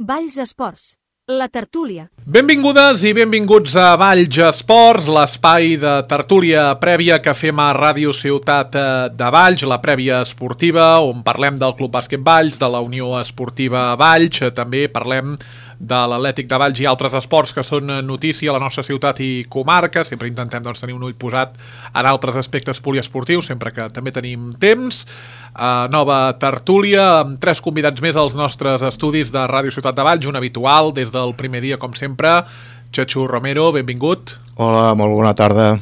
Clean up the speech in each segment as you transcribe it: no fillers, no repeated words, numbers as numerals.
Valls Esports, la tertúlia. Benvingudes i benvinguts a Valls Esports, l'espai de tertúlia prèvia que fem a Ràdio Ciutat de Valls, la prèvia esportiva, on parlem del Club Bàsquet Valls, de la Unió Esportiva Valls, també parlem de l'Atlètic de Valls i altres esports que són notícia a la nostra ciutat i comarca. Sempre intentem tenir un ull posat en altres aspectes poliesportius, sempre que també tenim temps. Nova tertúlia amb 3 convidats més als nostres estudis de Ràdio Ciutat de Valls, un habitual des del primer dia, com sempre, Chachu Romero, benvingut. Hola, molt bona tarda.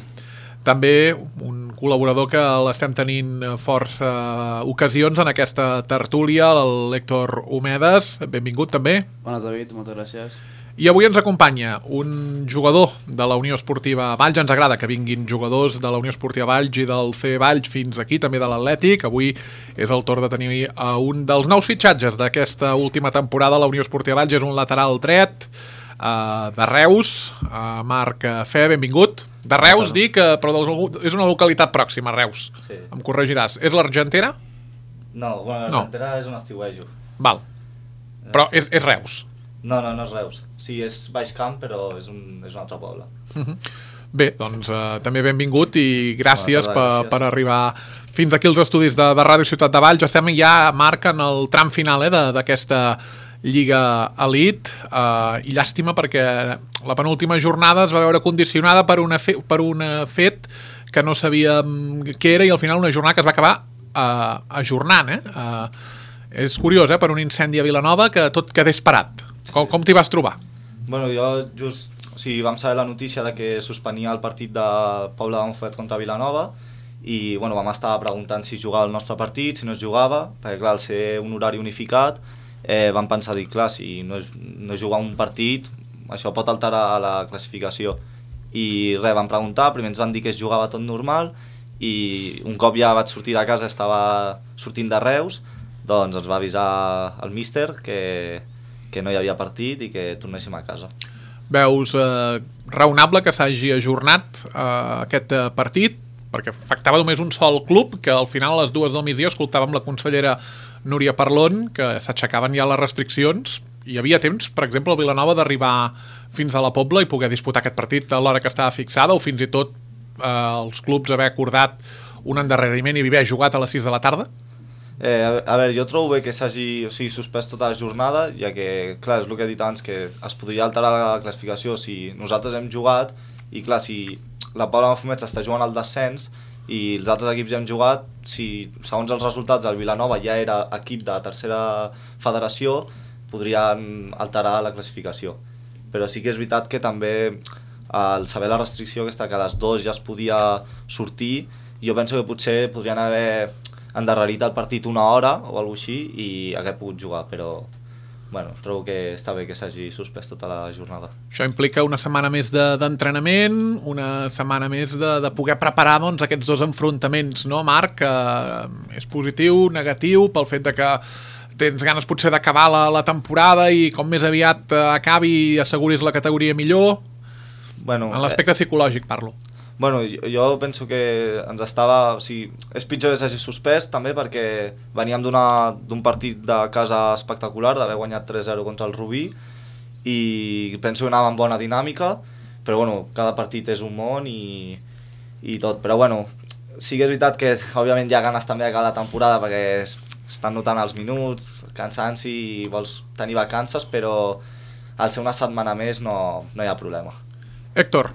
També un col·laborador que l'estem tenint força ocasions en aquesta tertúlia, l'Héctor Homedes, benvingut també. Bona, David, moltes gràcies. I avui ens acompanya un jugador de la Unió Esportiva Valls. Ens agrada que vinguin jugadors de la Unió Esportiva Valls i del C Valls fins aquí, també de l'Atlètic. Avui és el torn de tenir un dels nous fitxatges d'aquesta última temporada. La Unió Esportiva Valls és un lateral dret de Reus, Marc Fe, benvingut. De Reus, dic, però és una localitat pròxima, Reus. Sí. Em corregiràs. És l'Argentera? No, bueno, l'Argentera és on estiuejo. Val. Però és Reus. No és Reus. Sí, és Baix Camp, però és un altre poble. Bé, doncs també benvingut i gràcies per arribar fins aquí als estudis de Ràdio Ciutat de Valls. Estem ja, Marc, en el tram final d'aquesta Lliga Elite, i llàstima perquè la penúltima jornada es va veure condicionada per un fet que no sabíem què era i al final una jornada que es va acabar ajornant. És curiós, per un incendi a Vilanova que tot quedés parat. Com t'hi vas trobar? Bueno, jo just... O sigui, vam saber la notícia de que suspenia el partit de Pobla de Montfort contra Vilanova i bueno, vam estar preguntant si jugava el nostre partit, si no es jugava, perquè clar, al ser un horari unificat vam pensar, clar, si no es jugar un partit, això pot alterar la classificació. I res, vam preguntar, primer ens van dir que es jugava tot normal i un cop ja vaig sortir de casa, estava sortint de Reus, doncs ens va avisar el míster que no hi havia partit i que tornéssim a casa. Veus raonable que s'hagi ajornat aquest partit, perquè afectava només un sol club, que al final a les 2 del migdia escoltàvem la consellera Núria Parlon, que s'aixecaven ja les restriccions. Hi havia temps, per exemple, a Vilanova d'arribar fins a la Pobla i poder disputar aquest partit a l'hora que estava fixada, o fins i tot els clubs haver acordat un endarreriment i haver jugat a les 6 de la tarda? A veure, jo trobo bé que s'hagi suspès tota la jornada, ja que, clar, és el que he dit abans, que es podria alterar la classificació si nosaltres hem jugat i, clar, si la Pobla de Mafumet està jugant al descens i els altres equips ja hem jugat, si segons els resultats el Vilanova ja era equip de tercera federació, podrien alterar la classificació. Però sí que és veritat que també al saber la restricció aquesta que a les 2 ja es podia sortir, jo penso que potser podrien haver endarrerit el partit una hora o alguna cosa així i hagués pogut jugar, però bueno, trobo que està bé que s'hagi suspès tota la jornada. Això implica una setmana més d'entrenament, una setmana més de poder preparar aquests 2 enfrontaments, no, Marc? És positiu, negatiu, pel fet de que tens ganes potser d'acabar la temporada i com més aviat acabi i asseguris la categoria millor? Bueno, en l'aspecte psicològic parlo. Bueno, jo penso que ens estava... O sigui, és pitjor que s'hagi suspès també perquè veníem d'un partit de casa espectacular, d'haver guanyat 3-0 contra el Rubí i penso que anava amb bona dinàmica, però bueno, cada partit és un món i tot. Però bueno, sí que és veritat que òbviament hi ha ganes també d'acabar la temporada perquè estan notant els minuts, cansanci i vols tenir vacances, però al ser una setmana més no hi ha problema. Héctor,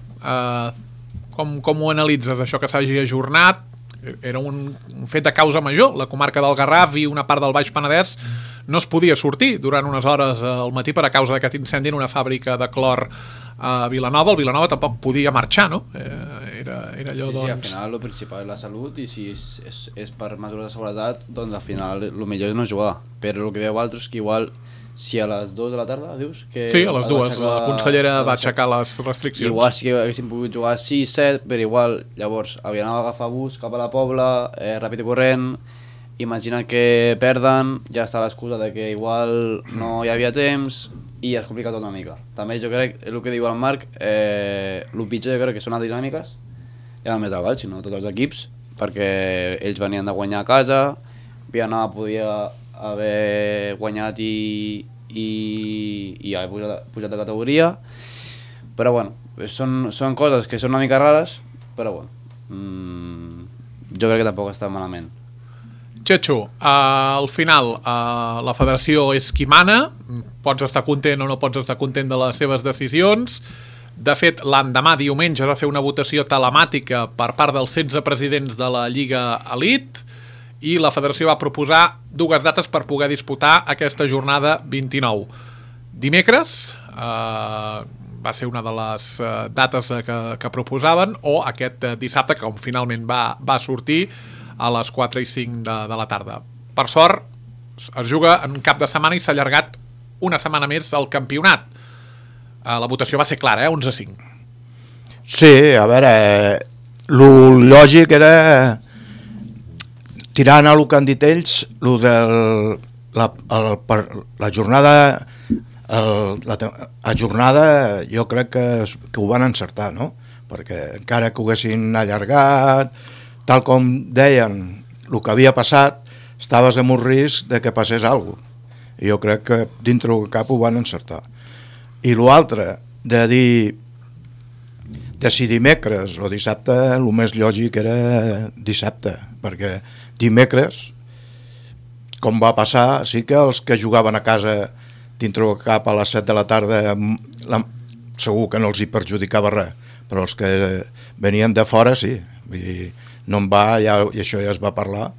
com ho analitzes, això que s'hagi ajornat? Era un fet de causa major. La comarca del Garraf i una part del Baix Penedès no es podia sortir durant unes hores al matí per a causa d'aquest incendi en una fàbrica de clor a Vilanova. El Vilanova tampoc podia marxar, no? Era allò, sí, al final el principal és la salut i si és per mesures de seguretat, doncs al final el millor és no jugar. Però el que dèieu altres és que igual si a les 2 de la tarda, dius? Sí, a les 2, la consellera va aixecar les restriccions. Igual sí que haguéssim pogut jugar a 6, 7, però igual, llavors, havien d'agafar bus cap a la Pobla, ràpid i corrent, imagina que perden, ja està l'excusa de que igual no hi havia temps i es complica tot una mica. També jo crec, el que diu el Marc, el pitjor jo crec que són les dinàmiques, ja no només el Valls, sinó tots els equips, perquè ells venien de guanyar a casa, Vilanova podia haver guanyat i i ja he pujat de categoria, però bueno, són coses que són una mica rares, però bueno, jo crec que tampoc està malament. Chechu, al final la federació és qui mana, pots estar content o no pots estar content de les seves decisions. De fet, l'endemà, diumenge, es va fer una votació telemàtica per part dels 16 presidents de la Lliga Elite i la federació va proposar 2 dates per poder disputar aquesta jornada 29. Dimecres va ser una de les dates que proposaven, o aquest dissabte, que finalment va sortir a les 4 i 5 de la tarda. Per sort, es juga en cap de setmana i s'ha allargat una setmana més el campionat. La votació va ser clara, 11-5. Sí, a veure, el lògic era, tirant a el que han dit ells, la jornada, la jornada jo crec que ho van encertar, no? Perquè encara que ho haguessin allargat, tal com deien, el que havia passat, estaves amb un risc de que passés alguna cosa. I jo crec que dintre del cap ho van encertar. I l'altre, de dir si dimecres o dissabte, el més lògic era dissabte, perquè dimecres, com va passar, sí que els que jugaven a casa dintre del cap a les 7 de la tarda segur que no els hi perjudicava res, però els que venien de fora sí, vull dir, no en va, i això ja es va parlar,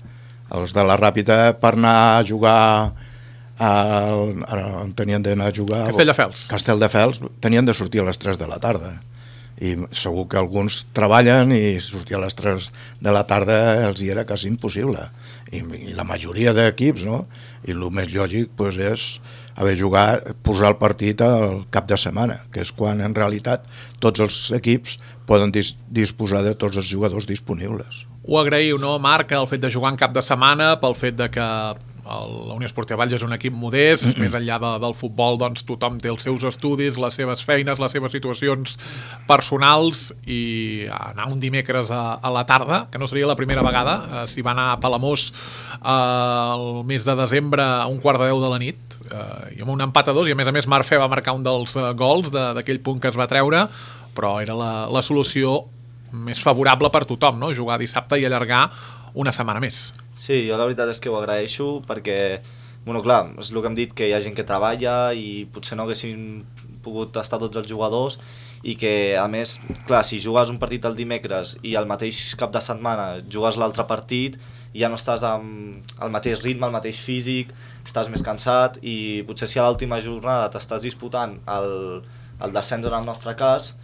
els de la Ràpita per anar a jugar on tenien d'anar a jugar, Castelldefels, tenien de sortir a les 3 de la tarda, i segur que alguns treballen i sortir a les 3 de la tarda els hi era quasi impossible, i la majoria d'equips, no? I el més lògic doncs, és haver jugat, posar el partit al cap de setmana, que és quan en realitat tots els equips poden disposar de tots els jugadors disponibles. Ho agraïu, no, Marc, el fet de jugar en cap de setmana, pel fet de que la Unió Esportiva Valls és un equip modest, més enllà del futbol, doncs tothom té els seus estudis, les seves feines, les seves situacions personals, i anar un dimecres a la tarda, que no seria la primera vegada, s'hi va anar a Palamós el mes de desembre a 1:15 de la nit, i amb un empat a 2, i a més Marfè va marcar un dels gols d'aquell punt que es va treure, però era la solució més favorable per tothom, no? Jugar dissabte i allargar una setmana més. Sí, jo la veritat és que ho agraeixo perquè, bueno, clar, és el que hem dit, que hi ha gent que treballa i potser no haguessin pogut estar tots els jugadors, i que, a més, clar, si jugues un partit el dimecres i al mateix cap de setmana jugues l'altre partit, ja no estàs amb el mateix ritme, el mateix físic, estàs més cansat, i potser si a l'última jornada t'estàs disputant el descens en el nostre cas,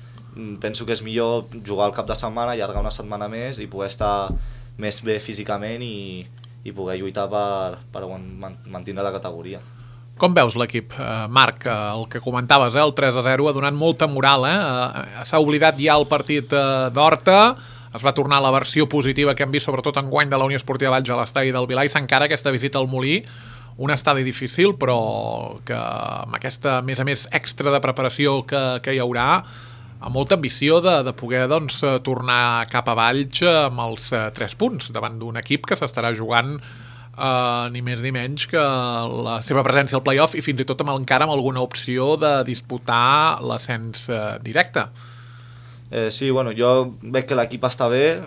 penso que és millor jugar al cap de setmana, allargar una setmana més i poder estar més bé físicament i poder lluitar per mantenir la categoria. Com veus l'equip, Marc? El que comentaves, el 3-0 ha donat molta moral, s'ha oblidat ja el partit d'Horta, es va tornar a la versió positiva que hem vist sobretot enguany de la Unió Esportiva Valls a l'estadi del Vilà, i s'encara aquesta visita al Molí, un estadi difícil, però que amb aquesta, a més extra de preparació que hi haurà, amb molta ambició de poder doncs, tornar cap a Valls amb els 3 punts davant d'un equip que s'estarà jugant ni més ni menys que la seva presència al play-off, i fins i tot encara amb alguna opció de disputar l'ascens directe. Sí, bueno, jo veig que l'equip està bé,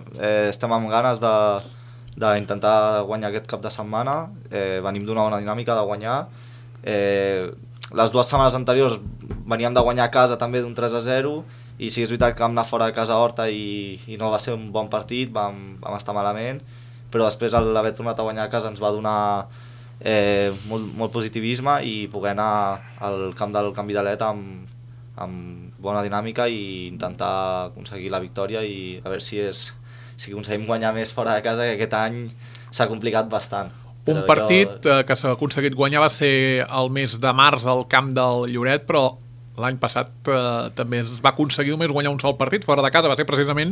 estem amb ganes d'intentar guanyar aquest cap de setmana, venim d'una bona dinàmica de guanyar. Les 2 setmanes anteriors veníem de guanyar a casa també d'un 3-0, i sí, és veritat que vam anar fora de casa a Horta i no va ser un bon partit, vam estar malament, però després l'haver tornat a guanyar a casa ens va donar molt positivisme, i poder anar al camp del Canvi de Let amb bona dinàmica i intentar aconseguir la victòria, i a veure si aconseguim guanyar més fora de casa, que aquest any s'ha complicat bastant. Un partit que s'ha aconseguit guanyar va ser el mes de març al camp del Lloret, però l'any passat també es va aconseguir només guanyar un sol partit fora de casa, va ser precisament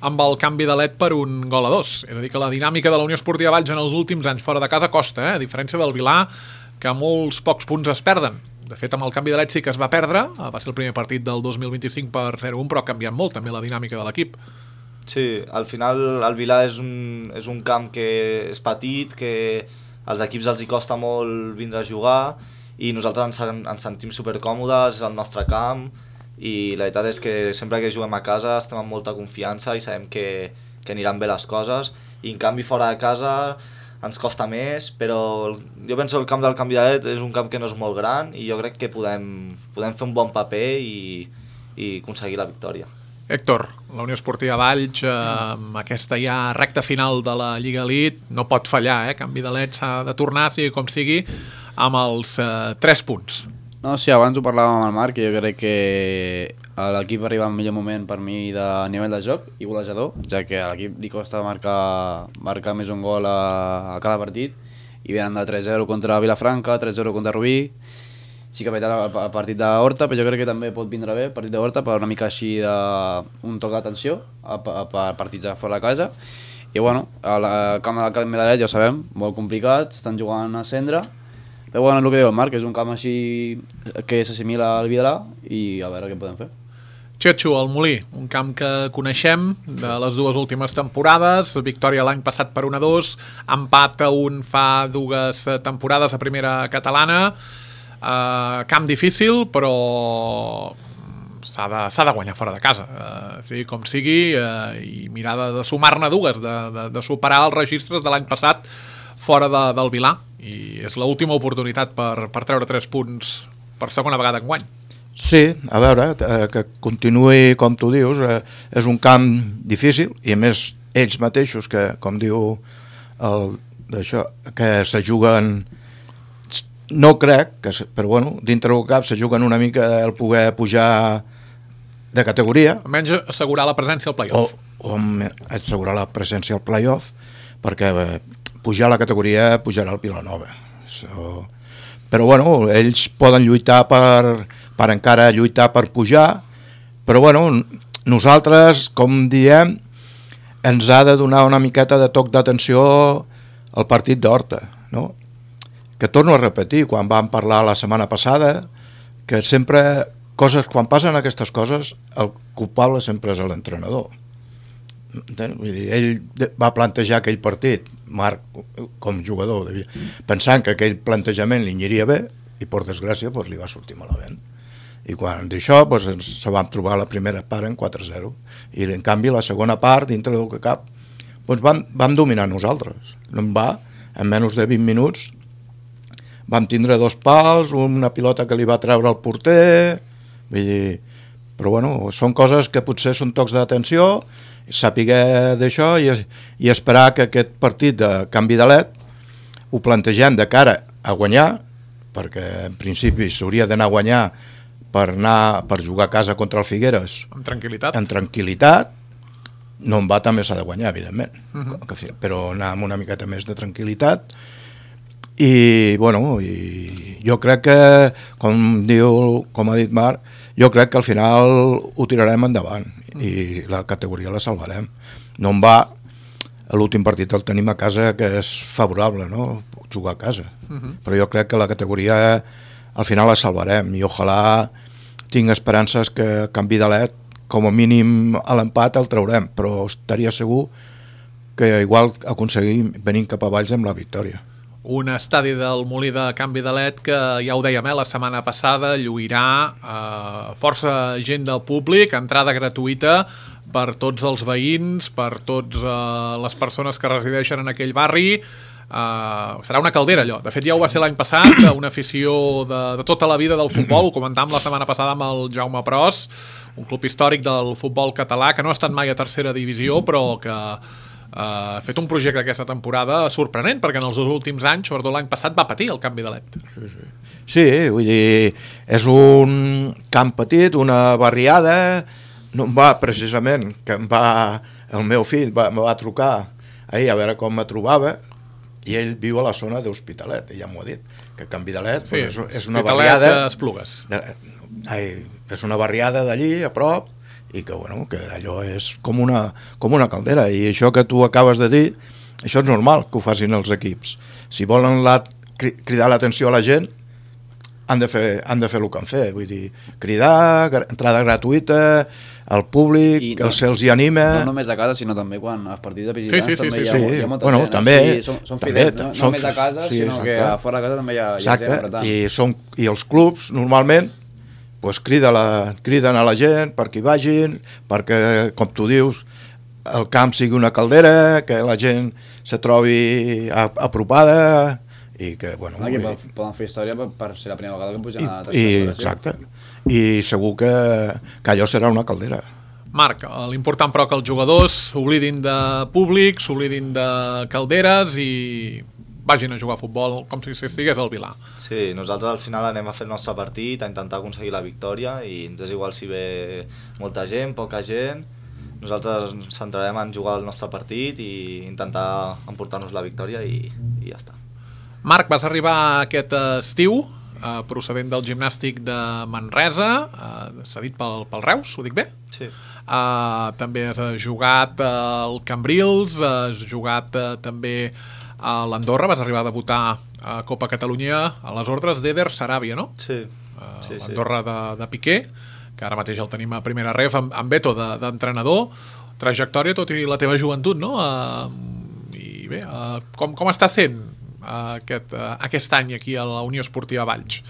amb el Canvi de Let per 1-2. És a dir, que la dinàmica de la Unió Esportiva Valls en els últims anys fora de casa costa, a diferència del Vilà, que molts pocs punts es perden. De fet, amb el Canvi de Let sí que es va perdre, va ser el primer partit del 2025 per 0-1, però ha canviat molt també la dinàmica de l'equip. Sí, al final el Vilà és un camp que és petit, que als equips els hi costa molt vindre a jugar, i nosaltres ens sentim supercòmodes, és el nostre camp, i la veritat és que sempre que juguem a casa estem amb molta confiança i sabem que aniran bé les coses, i en canvi fora de casa ens costa més, però jo penso que el camp del Canvidalet és un camp que no és molt gran i jo crec que podem fer un bon paper i aconseguir la victòria. Héctor, la Unió Esportiva Valls, amb aquesta ja recta final de la Lliga Elite, no pot fallar, Canvidalet s'ha de tornar, sigui com sigui, amb els 3 punts. No, sí, abans ho parlàvem amb el Marc, que jo crec que l'equip arriba al millor moment per mi de nivell de joc i golejador, ja que a l'equip li costa marcar més un gol a cada partit, i venen de 3-0 contra Vilafranca, 3-0 contra Rubí. Sí que ha veritat el partit d'Horta, però jo crec que també pot vindre bé el partit d'Horta per una mica així d'un toc d'atenció per partits de fora de casa. I bueno, el camp del Canvidalet ja ho sabem, molt complicat, estan jugant a cendre, però bueno, és el que diu el Marc, és un camp així que s'assimila al Vilalà i a veure què podem fer. Txetxo, el Molí, un camp que coneixem de les 2 últimes temporades, victòria l'any passat per 1-2, empat a 1 fa 2 temporades a primera catalana, camp difícil, però s'ha de guanyar fora de casa, sigui com sigui, i mirar de sumar-ne 2, de superar els registres de l'any passat fora del Vilà, i és l'última oportunitat per treure 3 punts per segona vegada enguany. Sí, a veure, que continuï com tu dius, és un camp difícil, i a més ells mateixos, que com diu d'això, que se juguen, no crec, però bueno, dintre del cap se juguen una mica el poder pujar de categoria. Almenys assegurar la presència al play-off. O assegurar la presència al play-off, perquè pujar a la categoria pujarà al Vilanova. Però bueno, ells poden lluitar per encara lluitar per pujar, però bueno, nosaltres, com diem, ens ha de donar una miqueta de toc d'atenció al partit d'Horta, no? Que torno a repetir, quan vam parlar la setmana passada, que sempre quan passen aquestes coses, el culpable sempre és l'entrenador. Vull dir, ell va plantejar aquell partit, Marc, com jugador, pensant que aquell plantejament li aniria bé, i per desgràcia li va sortir malament. I quan d'això se vam trobar la primera part en 4-0, i en canvi la segona part, dintre del que cap, vam dominar nosaltres. En menys de 20 minuts vam tindre 2 pals, una pilota que li va treure el porter, vull dir, però bueno, són coses que potser són tocs d'atenció, saber d'això i esperar que aquest partit de Canvidalet ho plantegem de cara a guanyar, perquè en principi s'hauria d'anar a guanyar per jugar a casa contra el Figueres amb tranquil·litat. En tranquil·litat, no en va també s'ha de guanyar, evidentment, però anar amb una miqueta més de tranquil·litat. I bueno, jo crec que, com ha dit Marc, jo crec que al final ho tirarem endavant i la categoria la salvarem. No en va, l'últim partit el tenim a casa, que és favorable, no? Jugar a casa, però jo crec que la categoria al final la salvarem, i ojalà tinc esperances que Canvidalet, com a mínim a l'empat el traurem, però estaria segur que igual aconseguim venir cap a Valls amb la victòria. Un estadi del Molí de Canvidalet que, ja ho dèiem, la setmana passada lluirà força gent del públic, entrada gratuïta per tots els veïns, per totes les persones que resideixen en aquell barri. Serà una caldera allò. De fet ja ho va ser l'any passat, una afició de tota la vida del futbol, ho comentàvem la setmana passada amb el Jaume Pros, un club històric del futbol català que no ha estat mai a tercera divisió, però que ha fet un projecte aquesta temporada sorprenent, perquè en els 2 últims anys, sobretot l'any passat, va patir el Canvidalet. Sí, vull dir, és un camp petit, una barriada. No em va, precisament, que el meu fill em va trucar ahir a veure com me trobava, i ell viu a la zona d'Hospitalet, ja m'ho ha dit, que Canvidalet és una barriada, és una barriada d'allí a prop, i que, bueno, que allò és com una caldera, i això que tu acabes de dir, això és normal que ho facin els equips. Si volen cridar l'atenció a la gent, han de fer el que han fet, vull dir, cridar, entrada gratuïta, el públic, que se'ls hi anima... No només a casa, sinó també quan als partits de visitants també hi ha molta bueno, gent. També, són fidels, no només a casa, sinó que a fora de casa també hi ha gent apretant. I els clubs, normalment, criden a la gent perquè hi vagin, perquè, com tu dius, el camp sigui una caldera, que la gent se trobi apropada i que, bueno... Aquí poden fer història per ser la primera vegada que pugen a la tercera. Exacte. I segur que allò serà una caldera. Marc, l'important però que els jugadors s'oblidin de públic, s'oblidin de calderes i vagin a jugar a futbol com si estigués al Vilà. Sí, nosaltres al final anem a fer el nostre partit, a intentar aconseguir la victòria i ens és igual si ve molta gent, poca gent. Nosaltres ens centrarem en jugar el nostre partit i intentar emportar-nos la victòria i ja està. Marc, vas arribar aquest estiu procedent del gimnàstic de Manresa, cedit pel Reus, ho dic bé? Sí. També has jugat al Cambrils, has jugat també a l'Andorra, vas arribar a debutar a Copa Catalunya a les ordres d'Eder Saràbia, no? Sí. L'Andorra de Piqué, que ara mateix el tenim a primera ref, amb Beto d'entrenador, trajectòria tot i la teva joventut, no? I bé, com està sent aquest any aquí a la Unió Esportiva Valls?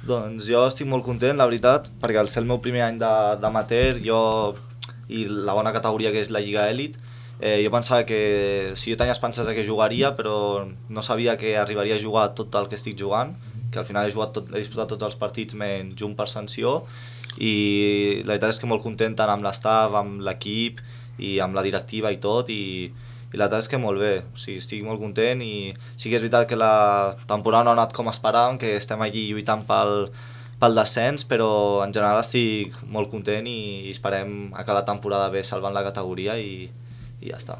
Doncs jo estic molt content, la veritat, perquè al ser el meu primer any d'amateur i la bona categoria que és la Lliga Elit, jo pensava que, jo tenia esperances que jugaria, però no sabia que arribaria a jugar tot el que estic jugant, que al final he disputat tots els partits menys un per sanció, i la veritat és que molt content tant amb l'estaf, amb l'equip i amb la directiva i tot, i la veritat és que molt bé, o sigui, estic molt content i sí que és veritat que la temporada no ha anat com esperàvem, que estem allí lluitant pel descens, però en general estic molt content i esperem acabar la temporada bé salvant la categoria i ja està.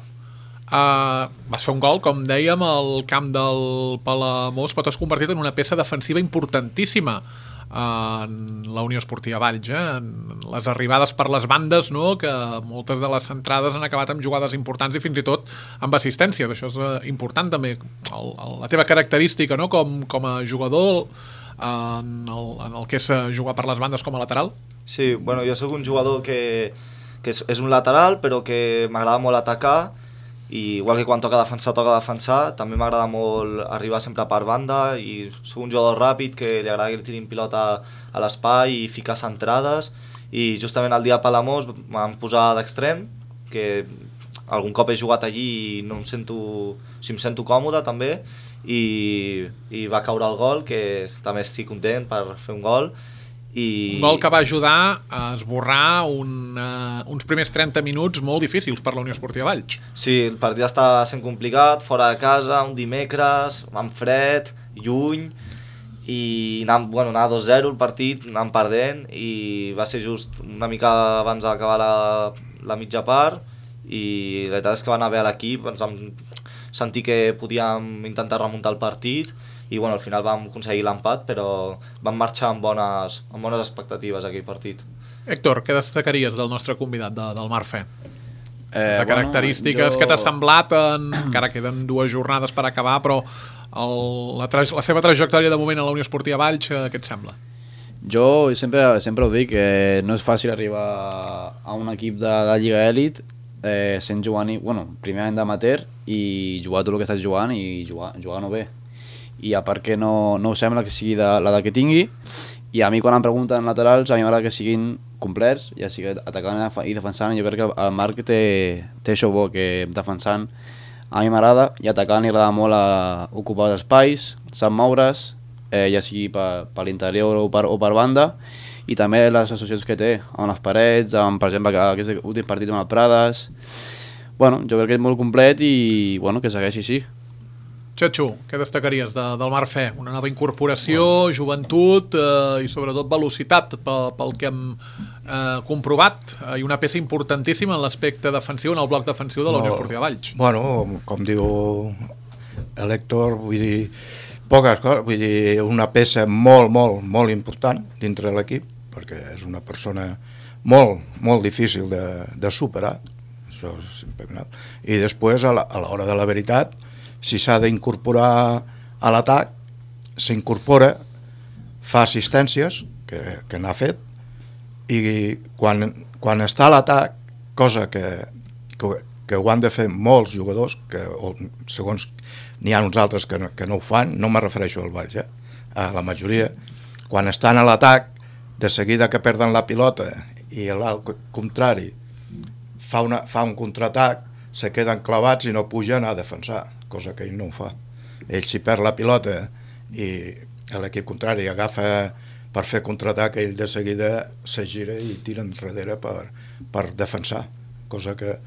Vas fer un gol, com dèiem, al camp del Palamós, però t'has convertit en una peça defensiva importantíssima en la Unió Esportiva Valls, en les arribades per les bandes, no? Que moltes de les centrades han acabat amb jugades importants i fins i tot amb assistències. Això és important també, la teva característica, no? Com a jugador en el que és jugar per les bandes com a lateral. Sí, bueno, jo sóc un jugador que és un lateral però que m'agrada molt atacar, i igual que quan toca defensar, també m'agrada molt arribar sempre per banda, i soc un jugador ràpid que li agrada que li tirin pilota a l'espai i ficar centrades, i justament el dia a Palamós m'han posat d'extrem, que algun cop he jugat allí i no em sento còmode també, i va caure el gol, que també estic content per fer un gol. Un gol que va ajudar a esborrar uns primers 30 minuts molt difícils per la Unió Esportiva Valls. Sí, el partit està sent complicat, fora de casa, un dimecres, amb fred, lluny, i anar 2-0 el partit, anant perdent, i va ser just una mica abans d'acabar la mitja part, i la veritat és que va anar bé a l'equip, ens vam sentir que podíem intentar remuntar el partit, i al final vam aconseguir l'empat, però vam marxar amb bones expectatives aquell partit. Héctor, què destacaries del nostre convidat, del Marfe? De característiques que t'ha semblat, encara queden 2 jornades per acabar, però la seva trajectòria de moment a la Unió Esportiva Valls, què et sembla? Jo sempre ho dic, que no és fàcil arribar a un equip de la Lliga Elit sent jugar, primer any d'amateur, i jugar tot el que estàs jugant i jugar-no bé. I a part que no sembla que sigui l'edat que tingui, i a mi quan em pregunten laterals a mi m'agrada que siguin complets, ja sigui atacant i defensant. Jo crec que el Marc té això bo, que defensant a mi m'agrada, i atacant li agrada molt ocupar els espais, sap moure's, ja sigui per l'interior o per banda, i també les associacions que té amb les parets, per exemple aquest últim partit amb el Prades. Jo crec que és molt complet i que segueixi així. Xatxo, què destacaries del Marfe? Una nova incorporació, joventut i sobretot velocitat pel que hem comprovat, i una peça importantíssima en l'aspecte defensiu, en el bloc defensiu de la Unió Esportiva Valls. Com diu l'Héctor, vull dir, poques coses, vull dir, una peça molt, molt, molt important dintre de l'equip, perquè és una persona molt, molt difícil de superar, això és sempre. I després, a l'hora de la veritat, si s'ha d'incorporar a l'atac, s'incorpora, fa assistències, que n'ha fet, i quan està a l'atac, cosa que ho han de fer molts jugadors, segons n'hi ha uns altres que no ho fan, no me refereixo al Valls, a la majoria, quan estan a l'atac, de seguida que perden la pilota i l'alt contrari fa un contraatac, se queden clavats i no pugen a defensar, cosa que ell no ho fa. Ell, si perd la pilota i l'equip contrari agafa per fer contraatac, ell de seguida se gira i tira enrere per defensar, cosa que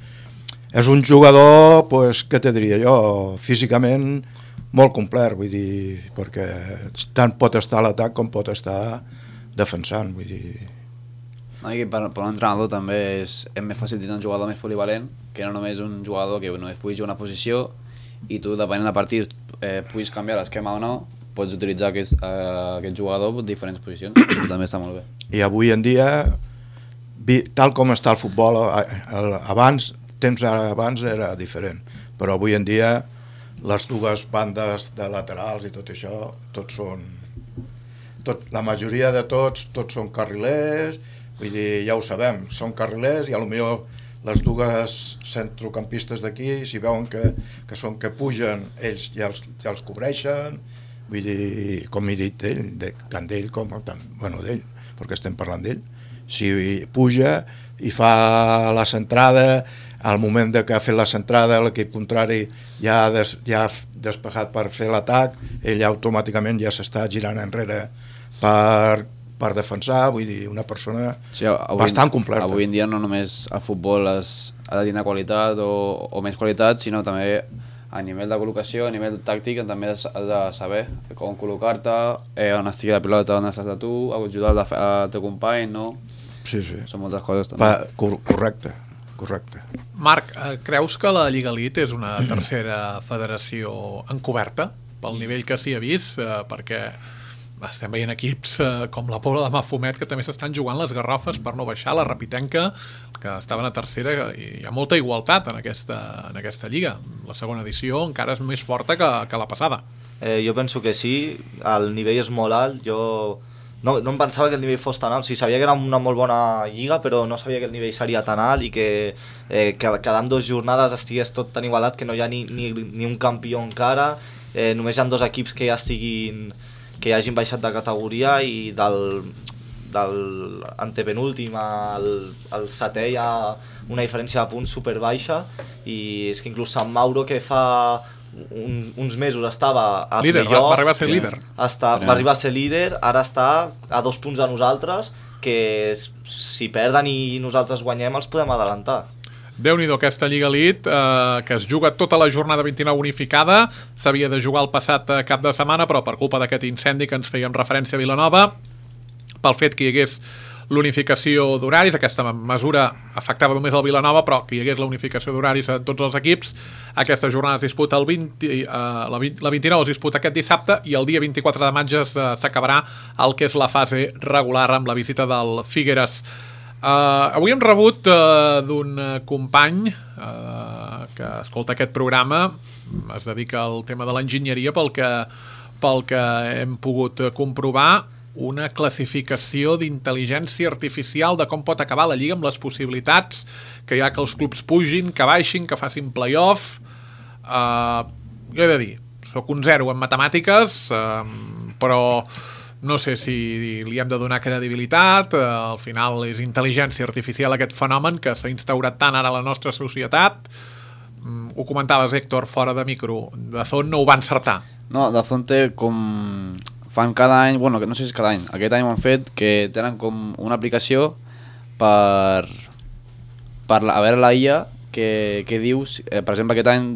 és un jugador, pues, què te diria jo, físicament molt complet, vull dir, perquè tant pot estar a l'atac com pot estar defensant, vull dir. Per un entrenador també és més fàcil tenir un jugador més polivalent que no només un jugador que només pugui jugar una posició i tu, depenent del partit, puguis canviar l'esquema o no, pots utilitzar aquest jugador en diferents posicions. També està molt bé. I avui en dia, tal com està el futbol, temps abans era diferent, però avui en dia les dues bandes de laterals i tot això, la majoria de tots són carrilers, vull dir, ja ho sabem, són carrilers i potser les dues centrocampistes d'aquí, si veuen que pugen, ells ja els cobreixen, vull dir, com he dit tant d'ell com d'ell, perquè estem parlant d'ell. Si puja i fa la centrada, al moment que ha fet la centrada l'equip contrari ja ha despejat per fer l'atac, ell automàticament ja s'està girant enrere per defensar, vull dir, una persona bastant completa. Avui en dia no només el futbol ha de tenir qualitat o més qualitat, sinó també a nivell de col·locació, a nivell tàctic, també has de saber com col·locar-te, on estigui la pilota, on estàs de tu, ajudar el teu company, no? Sí. Són moltes coses també. Correcte. Marc, creus que la Lliga Elite és una tercera federació encoberta pel nivell que s'hi ha vist? Perquè estem veient equips com la Pobla de Mafumet que també s'estan jugant les garrofes per no baixar, la Rapitenca, que estaven a tercera, i hi ha molta igualtat en aquesta lliga. La segona edició encara és més forta que la passada. Jo penso que sí, el nivell és molt alt, jo no em pensava que el nivell fos tan alt, o sigui, sabia que era una molt bona lliga, però no sabia que el nivell seria tan alt i que quedant 2 jornades estigués tot tan igualat que no hi ha ni un campió encara, només hi ha 2 equips que ja hagin baixat de categoria i del antepenúltim al setè hi ha una diferència de punts superbaixa i és que inclús Sant Mauro, que fa uns mesos estava a líder, playoff, va arribar a ser líder. Va arribar a ser líder, ara està a 2 punts de nosaltres, que si perden i nosaltres guanyem els podem adelantar. Déu-n'hi-do, aquesta Lliga Elite, que es juga tota la jornada 29 unificada, s'havia de jugar el passat cap de setmana, però per culpa d'aquest incendi que ens fèiem referència a Vilanova, pel fet que hi hagués l'unificació d'horaris, aquesta mesura afectava només el Vilanova, però que hi hagués la unificació d'horaris a tots els equips, aquesta jornada es disputa la 29 es disputa aquest dissabte i el dia 24 de maig s'acabarà el que és la fase regular amb la visita del Figueres. Avui hem rebut d'un company que escolta aquest programa, es dedica al tema de l'enginyeria, pel que hem pogut comprovar, una classificació d'intel·ligència artificial de com pot acabar la Lliga amb les possibilitats que hi ha que els clubs pugin, que baixin, que facin play-off. Jo he de dir, soc un 0 en matemàtiques, però no sé si li hem de donar credibilitat. Al final és intel·ligència artificial aquest fenomen que s'ha instaurat tant ara a la nostra societat. Ho comentaves, Héctor, fora de micro. Dazón no ho va encertar. No, Dazón té com... fan cada any, bueno, no sé si és cada any, aquest any ho han fet, que tenen com una aplicació per a veure la IA que dius, per exemple aquest any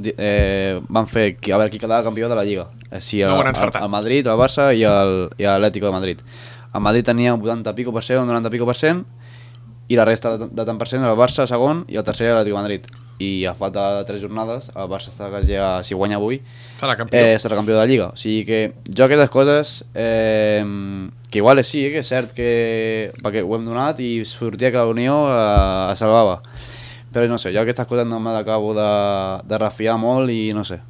van fer a veure qui quedava campió de la Lliga, si el Madrid, el Barça i l'Atlético de Madrid. El Madrid tenia un 80 pico per cent, un 90 pico per cent i la resta de tant per cent el Barça segon i el tercer l'Atlético de Madrid. I a falta de 3 jornades el Barça està quasi, si guanya avui serà campió de la Lliga. O sigui que jo aquestes coses que igual sí, que és cert perquè ho hem donat i sortia que la Unió es salvava, però no sé, jo aquestes coses no me l'acabo de refiar molt i no sé.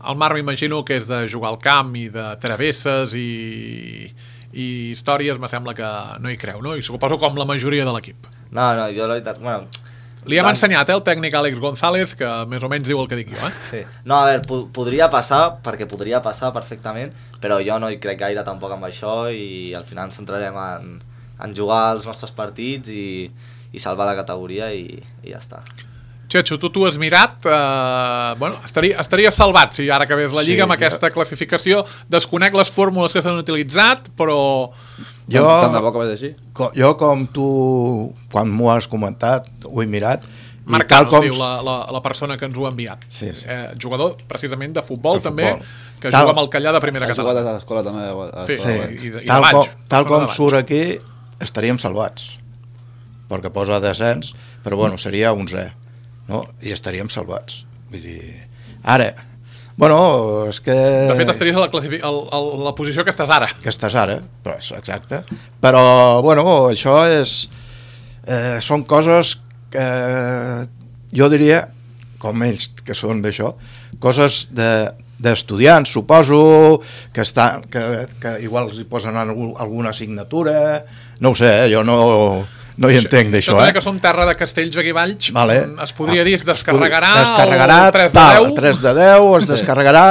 El Marc m'imagino que és de jugar al camp i de travesses i i històries, me sembla que no hi creu, no? I suposo com la majoria de l'equip. No, jo la veritat... Bueno, li hem ensenyat, el tècnic Àlex González, que més o menys diu el que dic jo, Sí. No, a veure, podria passar, perquè podria passar perfectament, però jo no hi crec gaire tampoc amb això i al final ens centrarem en jugar els nostres partits i salvar la categoria i ja està. Xecho, tu has mirat, bueno, estaria salvat si ara acabés la Lliga amb aquesta classificació. Desconec les fórmules que s'han utilitzat, però... Tant de bo que va ser així. Jo, com tu, quan m'ho has comentat, ho he mirat. Marc Cano, diu la persona que ens ho ha enviat. Sí. Jugador, precisament, de futbol, també, que tal, juga amb el Callà de primera catalana. Ha jugat a l'escola també. Sí, i de Valls. Tal com surt aquí, estaríem salvats. Perquè posa descens, però bueno, seria 11è. No? I estaríem salvats. Vull dir, ara, bueno, és que... De fet, estaries a la posició que estàs ara. Que estàs ara, però exacte. Però, bueno, això és... són coses que jo diria, com ells que són d'això, coses d'estudiants, suposo, que igual els hi posen alguna assignatura, no ho sé, jo no hi entenc d'això. Això que som terra de castells aquí Valls, es podria dir, es descarregarà el 3 de 10. 3 de 10, es descarregarà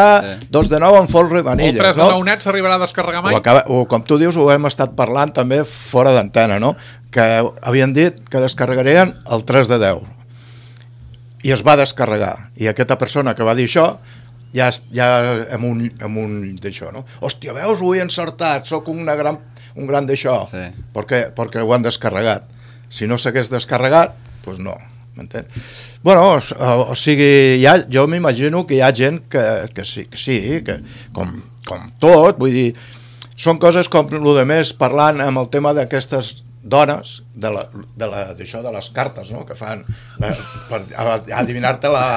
2 de 9 en folre i vanilla. El 3 de 9 net s'arribarà a descarregar mai? O com tu dius, ho hem estat parlant també fora d'antena, no? Que havien dit que descarregarien el 3 de 10. I es va descarregar. I aquesta persona que va dir això ja amb un d'això, no? Hòstia, veus, ho he encertat, sóc un gran d'això, perquè ho han descarregat. Si no s'hagués descarregat, doncs no, m'entén? Bueno, o sigui, jo m'imagino que hi ha gent que sí, que com tot, vull dir, són coses com el de més parlant amb el tema d'aquestes dones, d'això de les cartes, no?, que fan per adivinar-te la...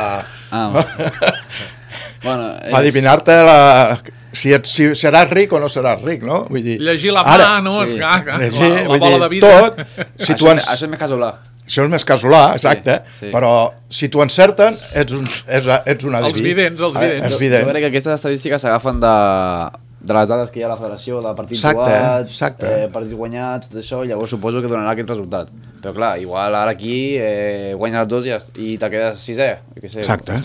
Bueno, adivinar-te si seràs ric o no seràs ric, no? Vull dir, llegir la mà, no? Sí. La bola de vida. Tot, això és més casolà. Això és més casolà, exacte, però si t'ho encerten, ets un adiví. Els vidents. Jo crec que aquestes estadístiques s'agafen de les dades que hi ha a la federació, de partits jugats, partits guanyats, tot això, llavors suposo que donarà aquest resultat. Però clar, igual ara aquí guanyes 2 i te quedes 6è. Exacte.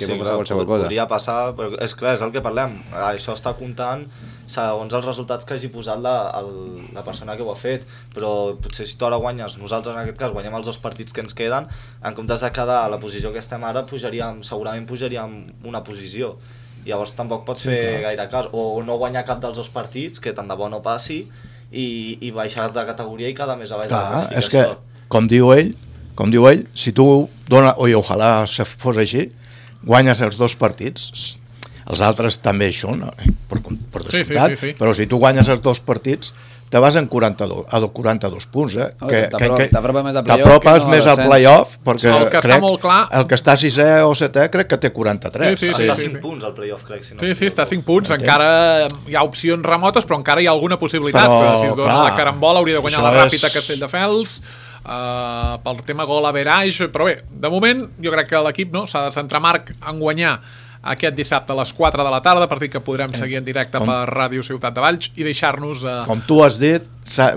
Podria passar, però és clar, és el que parlem. Això està comptant segons els resultats que hagi posat la persona que ho ha fet, però potser si tu ara guanyes, nosaltres en aquest cas guanyem els 2 partits que ens queden, en comptes de quedar a la posició que estem ara, segurament pujaríem una posició. Llavors tampoc pots fer gaire cas, o no guanyar cap dels 2 partits, que tant de bo no passi, i baixar de categoria i quedar més a baix de la classificació. És que, com diu ell, si tu dones, i ojalà fos així, guanyes els 2 partits, els altres també hi són, per descomptat, però si tu guanyes els 2 partits, te vas en 42 punts, t'apropes més al play-off, perquè el que està molt clar, el que està 6è o 7è crec que té 43. Està a 5 punts al play-off, crec. Sí, està a 5 punts, encara hi ha opcions remotes, però encara hi ha alguna possibilitat, si es dona la carambola hauria de guanyar la Ràpita Castelldefels, pel tema gol average, però bé, de moment jo crec que l'equip s'ha de centrar, Marc, en guanyar aquest dissabte a les 4 de la tarda, partit que podrem seguir en directe per Ràdio Ciutat de Valls i deixar-nos... Com tu has dit,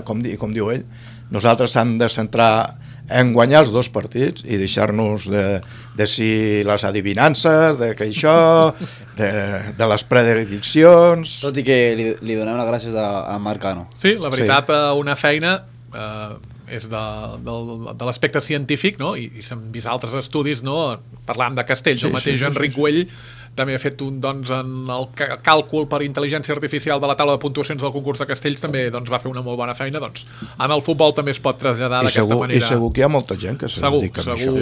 com diu ell, nosaltres s'han de centrar en guanyar els 2 partits i deixar-nos de si les adivinances, de que això, de les prediccions... Tot i que li donem les gràcies a Marc Cano. Sí, la veritat, una feina... és de l'aspecte científic, no? I s'han vist altres estudis, no? Parlàvem de Castells, el mateix Enric Güell també ha fet en el càlcul per intel·ligència artificial de la taula de puntuacions del concurs de Castells, també va fer una molt bona feina, en el futbol també es pot traslladar d'aquesta manera. I segur que hi ha molta gent que se dedica a això.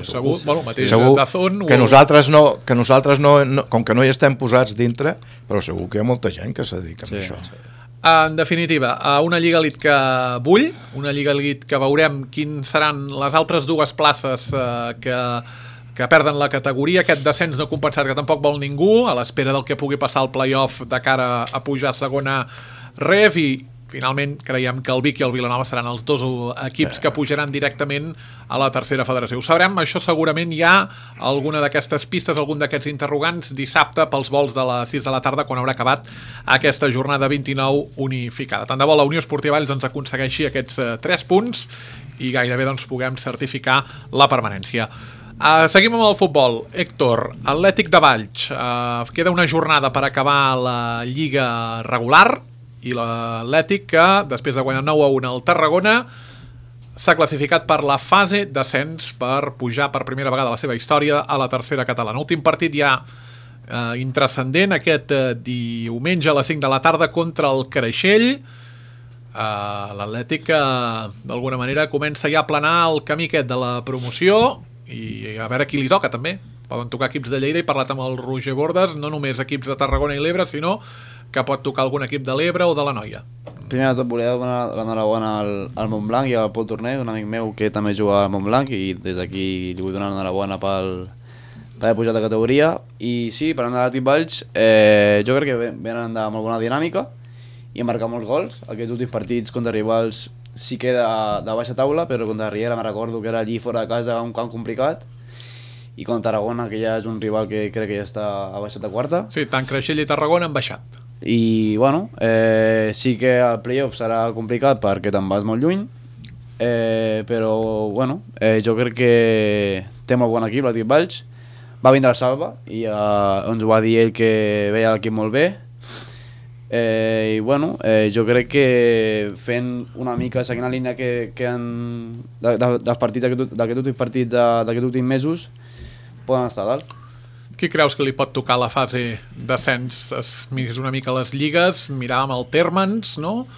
Segur, bueno, mateix Dazón... Que nosaltres no, com que no hi estem posats dintre, però segur que hi ha molta gent que se dedica a això. En definitiva, una Lliga Elite que bull, una Lliga Elite que veurem quins seran les altres 2 places que perden la categoria, aquest descens no compensat que tampoc vol ningú, a l'espera del que pugui passar al play-off de cara a pujar a segona ref, i finalment creiem que el Vic i el Vilanova seran els dos equips que pujaran directament a la tercera federació. Ho sabrem, això segurament hi ha alguna d'aquestes pistes, algun d'aquests interrogants dissabte pels vols de les 6 de la tarda quan haurà acabat aquesta jornada 29 unificada. Tant de bo la Unió Esportiva Valls ens aconsegueixi aquests 3 punts i gairebé doncs, puguem certificar la permanència. Seguim amb el futbol. Héctor, Atlètic de Valls. Queda una jornada per acabar la lliga regular i l'Atlètic que, després de guanyar 9-1 al Tarragona, s'ha classificat per la fase d'ascens per pujar per primera vegada a la seva història a la tercera catalana. Últim partit ja intrascendent aquest diumenge a les 5 de la tarda contra el Creixell. L'Atlètic que d'alguna manera comença ja a planar el camí aquest de la promoció i a veure qui li toca també. Poden tocar equips de Lleida, he parlat amb el Roger Bordes, no només equips de Tarragona i l'Ebre, sinó que pot tocar algun equip de l'Ebre o de la Noia. Primer de tot volia donar l'enhorabona al Montblanc i al Pol Torner, un amic meu que també juga al Montblanc, i des d'aquí li vull donar l'enhorabona per haver pujat de categoria. I sí, parlant de l'Atlètic Valls, jo crec que venen de molt bona dinàmica i han marcat molts gols. Aquests últims partits contra rivals sí que de baixa taula, però contra Riera me recordo que era allí fora de casa, un camp complicat, i contra Tarragona, que ja és un rival que crec que ja està a baixat de quarta. Sí, tant Creixell i Tarragona han baixat. I bueno, sí que el playoff serà complicat perquè te'n vas molt lluny, però bueno, jo crec que té molt bon equip l'Atlètic Valls. Va vindre al Salva i ens ho va dir ell que veia l'equip molt bé. I bueno, jo crec que fent una mica, seguint la línia que han dels partits d'aquests últims partits d'aquests últims mesos, poden estar a dalt. Qui creus que li pot tocar la fase d'ascens? Es miris una mica les lligues, miràvem el Térmens, no?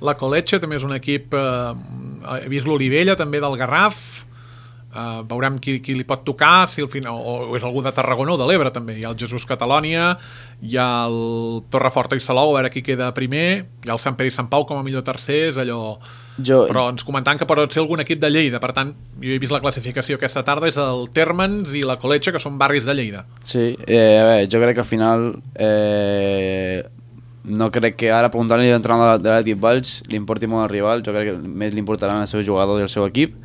La Coletge també és un equip, he vist l'Olivella també del Garraf, veurem qui li pot tocar, si al final, o és algú de Tarragona o de l'Ebre també. Hi ha el Jesús Catalònia, hi ha el Torreforta i Salou, a veure qui queda primer, hi ha el Sant Pere i Sant Pau com a millor tercer, és allò... Però ens comentaven que pot ser algun equip de Lleida, per tant, jo he vist la classificació aquesta tarda, és el Térmens i la Coletge, que són barris de Lleida. Sí, a veure, jo crec que al final no crec que ara preguntant-li l'entrenador de l'Atlètic Valls li importi molt el rival, jo crec que més li importaran el seu jugador i el seu equip.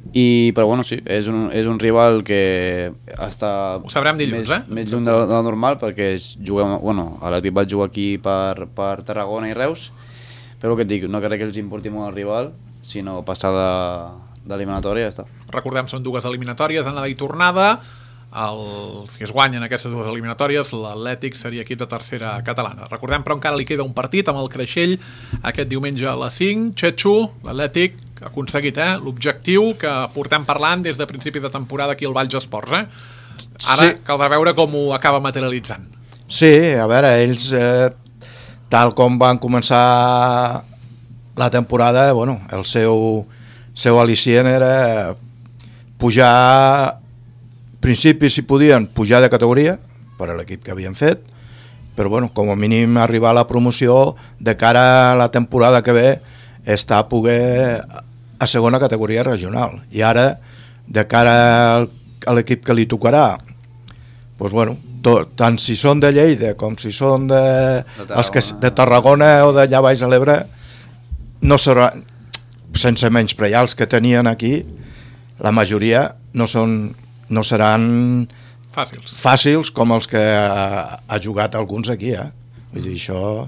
Però bueno, sí, és un rival que està ho sabrem dilluns, més lluny de la normal, perquè l'Atlètic Valls juga aquí per Tarragona i Reus, però el que et dic, no crec que els importi molt el rival, sinó passar d'eliminatòria i ja està. Recordem, són 2 eliminatòries, anada i tornada. Si es guanyen aquestes 2 eliminatòries, l'Atlètic seria equip de tercera catalana. Recordem, però encara li queda un partit amb el Creixell aquest diumenge a les 5. Txetxo, l'Atlètic ha aconseguit l'objectiu que portem parlant des de principi de temporada aquí al Valls Esports. Ara sí, caldrà veure com ho acaba materialitzant. Sí, a veure, ells... tal com van començar la temporada, bueno, el seu al·licient era pujar, principi si podien pujar de categoria per a l'equip que havien fet, però bueno, com a mínim arribar a la promoció de cara a la temporada que ve està a poder a segona categoria regional, i ara de cara a l'equip que li tocarà, doncs bueno, tant si són de Lleida com si són de Tarragona o d'allà baix a l'Ebre, no serà, sense menysprear els que tenien aquí, la majoria no seran fàcils com els que ha jugat alguns aquí. Vull dir, això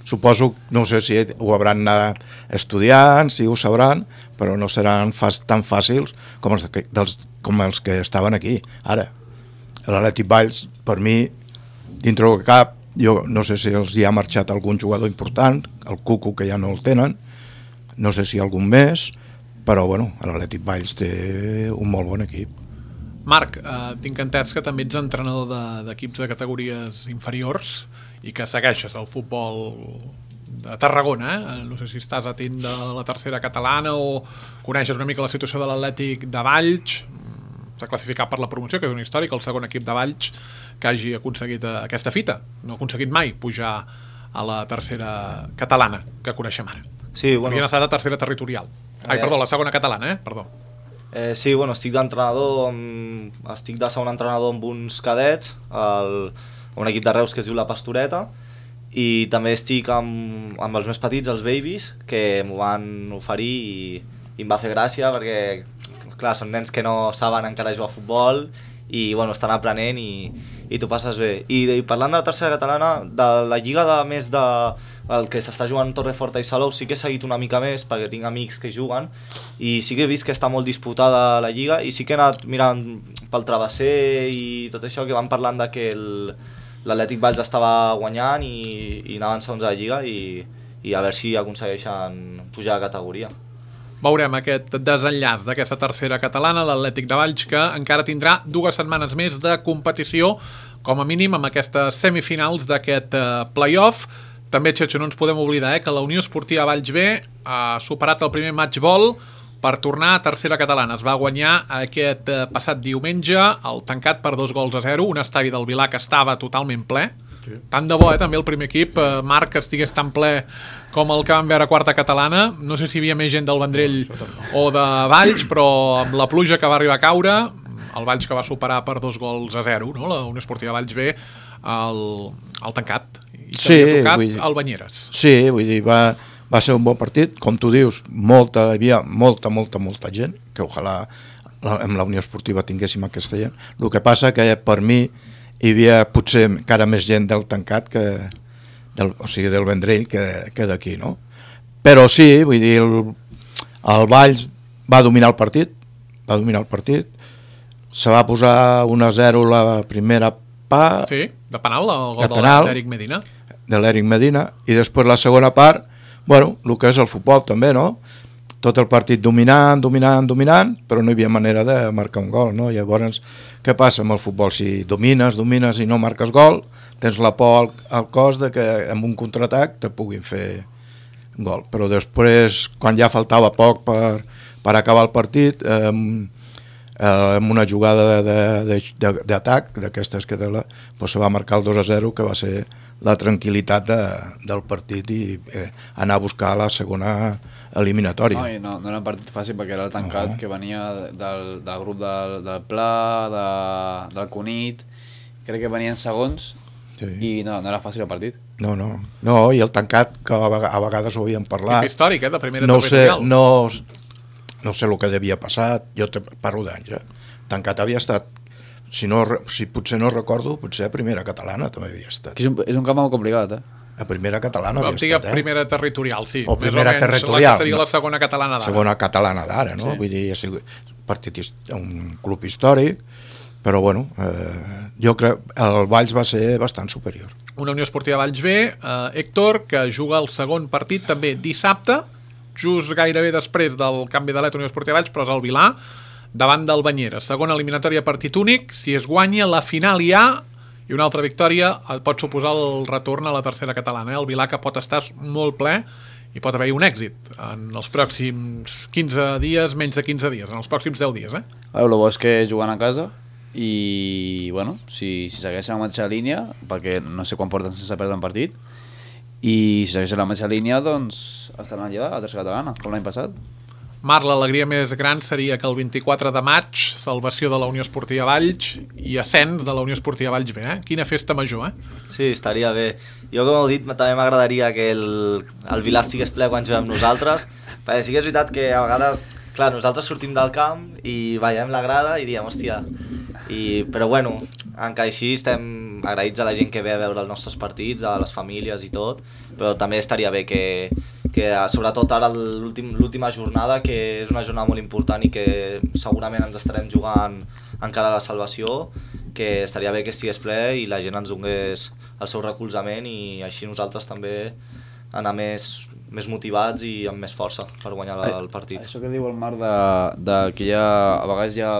suposo, no sé si ho hauran anat estudiant, si ho sabran, però no seran tan fàcils com els que estaven aquí ara. L'Atlètic Valls, per mi, dintre del cap, jo no sé si els hi ha marxat algun jugador important, el Cucu, que ja no el tenen, no sé si algun més, però bueno, l'Atlètic Valls té un molt bon equip. Marc, tinc entès que també ets entrenador d'equips de categories inferiors i que segueixes el futbol de Tarragona, no sé si estàs atent de la tercera catalana o coneixes una mica la situació de l'Atlètic de Valls. S'ha classificat per la promoció, que és un històric, el segon equip de Valls que hagi aconseguit aquesta fita. No ha aconseguit mai pujar a la tercera catalana, que coneixem ara. Sí, bueno, havien estat a tercera territorial. Perdó, la segona catalana, perdó. Sí, bueno, estic de segon entrenador amb uns cadets, un equip de Reus que es diu La Pastoreta, i també estic amb els més petits, els babies, que m'ho van oferir i em va fer gràcia perquè, clar, són nens que no saben encara jugar a futbol i bueno, estan aprenent i t'ho passes bé. I parlant de la tercera catalana, de la lliga de més de el que s'està jugant Torreforta i Salou, sí que he seguit una mica més perquè tinc amics que juguen i sí que he vist que està molt disputada la lliga i sí que he anat mirant pel travesser i tot això, que van parlant de que l'Atlètic Valls estava guanyant i anaven segons a la lliga i a veure si aconsegueixen pujar de categoria. Veurem aquest desenllaç d'aquesta tercera catalana, l'Atlètic de Valls, que encara tindrà 2 setmanes més de competició, com a mínim amb aquestes semifinals d'aquest play-off. També, Xetxo, no ens podem oblidar que la Unió Esportiva Valls B ha superat el primer matchball per tornar a tercera catalana. Es va guanyar aquest passat diumenge, el tancat per 2-0, un estadi del Vilar que estava totalment ple. Sí. Tant de bo, també el primer equip, Marc, que estigués tan ple com el que vam veure a quarta catalana. No sé si hi havia més gent del Vendrell o de Valls, però amb la pluja que va arribar a caure, el Valls que va superar per 2-0, no? La Unió Esportiva Valls B, el tancat. I també ha tocat el Banyeres. Sí, vull dir, va ser un bon partit, com tu dius, hi havia molta gent, que ojalà amb la Unió Esportiva tinguéssim aquesta gent. El que passa que per mi hi havia potser encara més gent del tancat del Vendrell que d'aquí, no? Però sí, vull dir, el Valls va dominar el partit, se va posar 1-0 la primera part. Sí, de penal, el gol de l'Eric Medina. De l'Eric Medina, i després la segona part, bueno, el que és el futbol també, no? Tot el partit dominant, però no hi havia manera de marcar un gol, no? Llavors, què passa amb el futbol? Si domines i no marques gol, tens la por al cos de que amb un contraatac te puguin fer gol. Però després, quan ja faltava poc per acabar el partit, amb una jugada d'atac, d'aquestes que se va marcar el 2-0, que va ser la tranquil·litat del partit i anar a buscar la segona eliminatòria. No era un partit fàcil perquè era el tancat que venia del grup del Pla, del Cunit, crec que venien segons, sí. I no era fàcil el partit. No, i el tancat, que a vegades ho havíem parlat... És històric, de primera territorial. No sé el que devia passar, jo te parlo d'anys, Tancat havia estat, si potser no recordo, potser a primera catalana també havia estat. És un camp molt complicat, A primera catalana havia estat, primera territorial, sí. O primera territorial. La que seria la segona catalana d'ara. Segona catalana d'ara, no? Sí. Vull dir, ha sigut un club històric, però bueno, jo crec que el Valls va ser bastant superior. Una Unió Esportiva Valls B, Héctor, que juga el segon partit també dissabte, just gairebé després del canvi de Unió Esportiva Valls, però és el Vilar, davant del Banyeres. Segona eliminatòria, partit únic. Si es guanya, la final hi ha, i una altra victòria pot suposar el retorn a la tercera catalana. El Vilar, que pot estar molt ple i pot haver-hi un èxit en els pròxims 15 dies, menys de 15 dies, en els pròxims 10 dies. El bo és que juguen a casa i, bueno, si segueixen la mateixa línia, perquè no sé quan porten sense perdre un partit, i si segueixen la mateixa línia, doncs estaran allà a la tercera catalana, com l'any passat. Marc, l'alegria més gran seria que el 24 de maig, salvació de la Unió Esportiva Valls i ascens de la Unió Esportiva Valls B, Quina festa major, Sí, estaria bé. Jo, com heu dit, també m'agradaria que el Vilar estigués ple quan juguem nosaltres, perquè sí que és veritat que a vegades, clar, nosaltres sortim del camp i veiem la grada i diem, hòstia, però bueno, encara així estem agraïts a la gent que ve a veure els nostres partits, a les famílies i tot, però també estaria bé que sobretot ara l'última jornada, que és una jornada molt important i que segurament ens estarem jugant encara a la salvació, que estaria bé que estigués ple i la gent ens donés el seu recolzament i així nosaltres també anar més motivats i amb més força per guanyar el partit. Això que diu el Marc que a vegades hi ha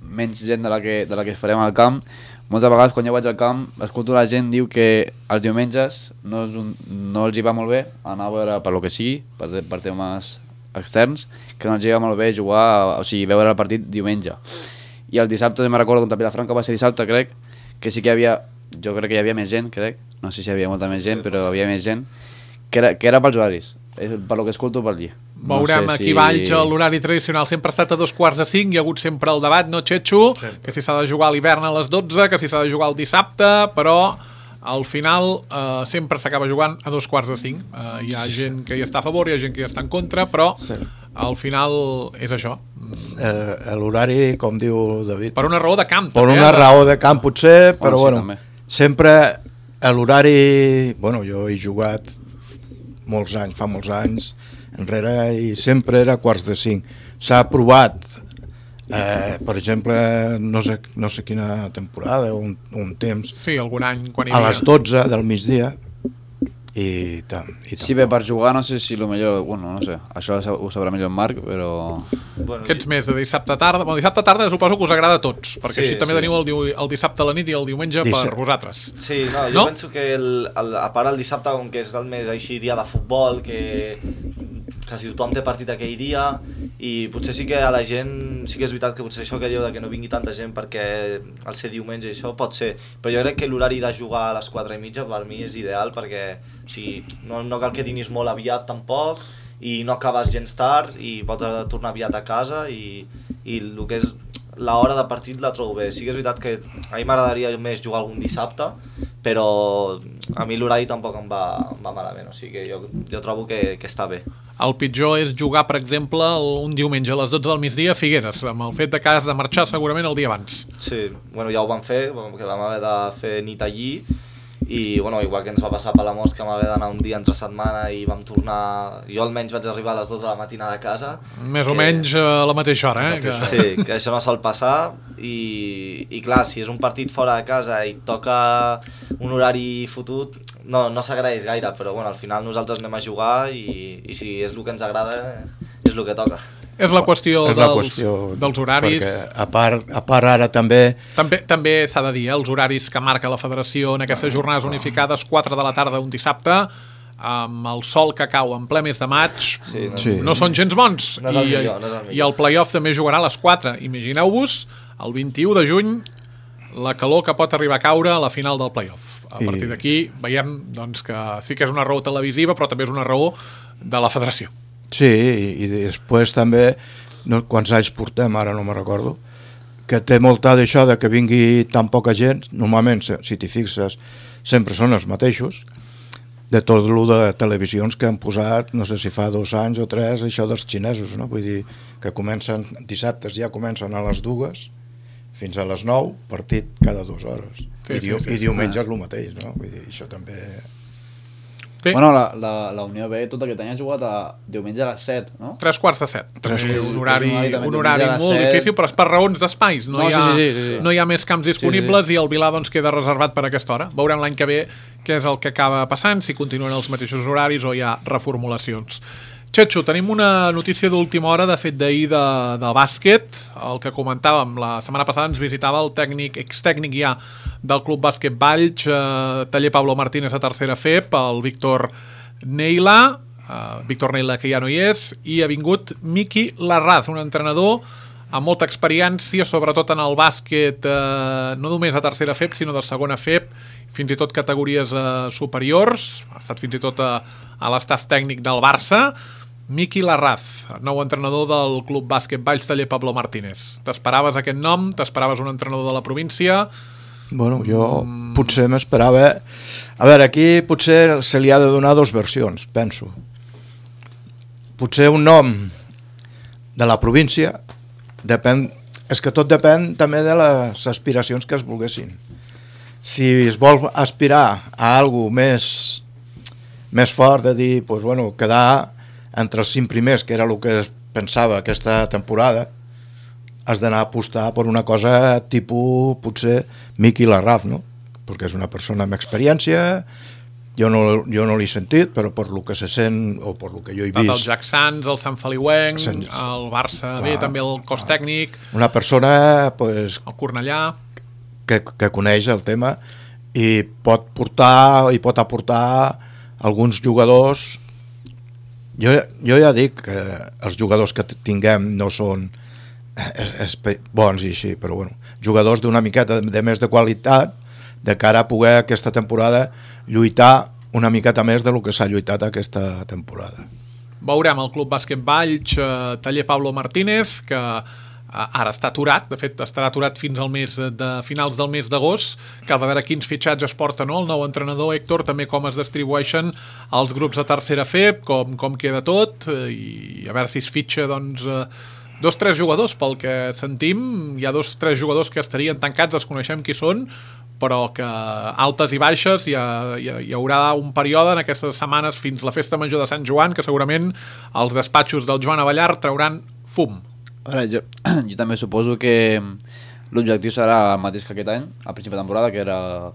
menys gent de la que esperem al camp. Moltes vegades quan jo vaig al camp escolto la gent diu que els diumenges no els hi va molt bé anar a veure per lo que sigui, per temes externs, que no els hi va molt bé jugar, o sigui, veure el partit diumenge. I el dissabte, me'n recordo, contra Vilafranca va ser dissabte, crec, que sí que jo crec que hi havia més gent, no sé si hi havia molta més gent, però hi havia més gent, que era pels horaris, per lo que escolto per allí. Veurem aquí Valls, l'horari tradicional sempre ha estat a 4:45, hi ha hagut sempre el debat, no, Xetxo? Que si s'ha de jugar a l'hivern a les 12, que si s'ha de jugar el dissabte, però al final sempre s'acaba jugant a 4:45. Hi ha gent que hi està a favor, hi ha gent que hi està en contra, però al final és això. L'horari, com diu David, Per una raó de camp, per també. una raó de camp potser, però sí, bueno, també. sempre l'horari, bueno, jo he jugat molts anys, fa molts anys enrere, i sempre era 4:45. S'ha provat, per exemple, no sé quina temporada, un temps, Sí, algun any quan hi a havia. les 12 del migdia, i tant. Sí, bé, per jugar no sé si el millor... Bueno, no sé, això ho sabrà millor en Marc, però... Bueno, Aquests més de dissabte tarda. Bueno, dissabte tarda suposo que us agrada a tots, perquè Sí, així també sí. teniu el dissabte a la nit i el diumenge per vosaltres. Sí, no, jo No? penso que a part el dissabte, com que és el més així dia de futbol, que quasi tothom té partit aquell dia, i potser sí que a la gent, sí que és veritat que potser això que diu de que no vingui tanta gent perquè al ser diumenge i això pot ser, però jo crec que l'horari de jugar a les 4:30 per mi és ideal, perquè o sigui, no cal que dinis molt aviat tampoc, i no acabes gens tard i pots tornar aviat a casa, i el que és l'hora de partit la trobo bé. Sí que és veritat que a mi m'agradaria més jugar algun dissabte, però a mi l'horari tampoc em va malament, o sigui que jo trobo que està bé. El pitjor és jugar, per exemple, un diumenge a les 12 del migdia a Figueres, amb el fet de que has de marxar segurament el dia abans. Sí, bueno, ja ho vam fer, que vam haver de fer nit allí, i bueno, igual que ens va passar per la Mosca, vam haver d'anar un dia entre setmana i vam tornar... Jo almenys vaig arribar a les 2 de la matinada a casa. Més o menys a la mateixa hora, eh? Sí, que això no sol passar, i clar, si és un partit fora de casa i et toca un horari fotut, no s'agraeix gaire, però bueno, al final nosaltres anem a jugar i si és el que ens agrada, és el que toca. És la qüestió, És la qüestió dels horaris. Perquè a part ara també També s'ha de dir, els horaris que marca la federació en aquestes jornades unificades, 4 de la tarda un dissabte, amb el sol que cau en ple mes de maig, no són gens bons. No és el millor, no és el millor. I el play-off també jugarà a les 4. Imagineu-vos, el 21 de juny, la calor que pot arribar a caure a la final del play-off. A partir d'aquí veiem doncs, que sí que és una raó televisiva, però també és una raó de la federació. Sí, i després també, quants anys portem, ara no me'n recordo, que té molta d'això de que vingui tan poca gent, normalment, si t'hi fixes, sempre són els mateixos, de tot el de televisions que han posat, no sé si fa 2 anys o 3, això dels xinesos, no? Vull dir, que comencen, dissabtes ja comencen a les 2, fins a les 9, partit cada 2 hores. I diumenge és el mateix, no? Vull dir, això també... Bé. Bueno, la Unió B tot aquest any ha jugat a diumenge a les 7, no? 3:45. També un horari diumenge a les molt 7. difícil, però és per raons d'espais. No sí. hi ha més camps disponibles i el Vilà doncs, queda reservat per aquesta hora. Veurem l'any que ve què és el que acaba passant, si continuen els mateixos horaris o hi ha reformulacions. Txetxo, tenim una notícia d'última hora, de fet d'ahir de bàsquet. El que comentàvem, la setmana passada ens visitava el extècnic ja del Club Bàsquet Valls, taller Pablo Martínez a tercera FEP, el Víctor Neila, que ja no hi és, i ha vingut Miqui Larraz, un entrenador amb molta experiència, sobretot en el bàsquet, no només a tercera FEP, sinó de segona FEP, fins i tot categories superiors, ha estat fins i tot a l'estaf tècnic del Barça. Miqui Larraz, nou entrenador del Club Bàsquet Valls taller Pablo Martínez. T'esperaves aquest nom? T'esperaves un entrenador de la província? Bueno, jo potser m'esperava... A veure, aquí potser se li ha de donar 2 versions, penso. Potser un nom de la província, és que tot depèn també de les aspiracions que es volguessin. Si es vol aspirar a alguna cosa més fort, de dir, pues, bueno, quedar entre els 5 primers, que era el que es pensava aquesta temporada, has d'anar a apostar per una cosa tipus, potser, Miqui Larraz, no? Perquè és una persona amb experiència, jo no l'he sentit, però per lo que se sent, o per lo que jo he vist... Els Jack Sants, el Sant Feliuenc, el Barça, bé, també el cos tècnic... Una persona, pues... El Cornellà... Que coneix el tema i pot aportar alguns jugadors. Jo ja dic que els jugadors que tinguem no són bons i així, però bueno, jugadors d'una miqueta de més de qualitat de cara a poder aquesta temporada lluitar una miqueta més del que s'ha lluitat aquesta temporada. Veurem el Club Bàsquet Valls, taller Pablo Martínez, que ara està aturat, de fet estarà aturat fins al mes de finals del mes d'agost, que ha de veure quins fitxatges porta, no? El nou entrenador, Héctor, també com es distribueixen els grups de tercera FEP, com queda tot, i a veure si es fitxa, doncs, 2-3 jugadors, pel que sentim, hi ha 2-3 jugadors que estarien tancats, desconeixem qui són, però que altes i baixes hi haurà un període en aquestes setmanes fins la festa major de Sant Joan, que segurament els despatxos del Joan Avellar trauran fum. Ara, jo també suposo que l'objectiu serà el mateix que aquest any, a principi de temporada, que era,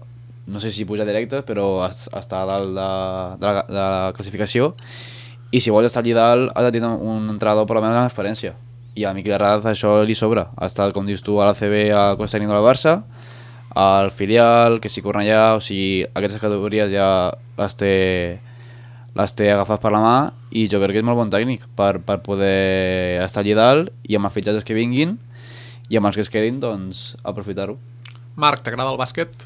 no sé si pujar directe, però estar a dalt de la classificació, i si vols estar allà dalt has de tenir un entrenador per almenys amb experiència, i a Miquel Herrada això li sobra. Ha estat, com dius tu, a l'ACB a Costa Tècnic del Barça, al filial, que si Cornellà, o sigui, aquestes categories ja les té agafades per la mà, i jo crec que és molt bon tècnic per poder estar allà dalt, i amb els fitxatges que vinguin i amb els que es quedin, doncs aprofitar-ho. Marc, t'agrada el bàsquet?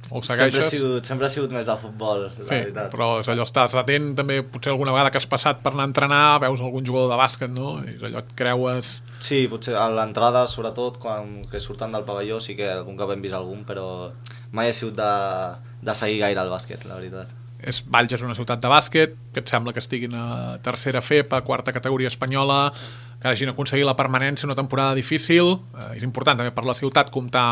O ho segueixes? Sempre ha sigut més de futbol, la veritat. Però és allò, estàs atent també, potser alguna vegada que has passat per anar a entrenar, veus algun jugador de bàsquet, no? I és allò, et creues... Sí, potser a l'entrada, sobretot, quan que surten del pavelló, sí que algun cop hem vist algun, però mai he sigut de seguir gaire el bàsquet, la veritat. Valls és una ciutat de bàsquet, que et sembla que estiguin a tercera FEP, a quarta categoria espanyola, que hagin aconseguit la permanència, una temporada difícil. És important també per la ciutat comptar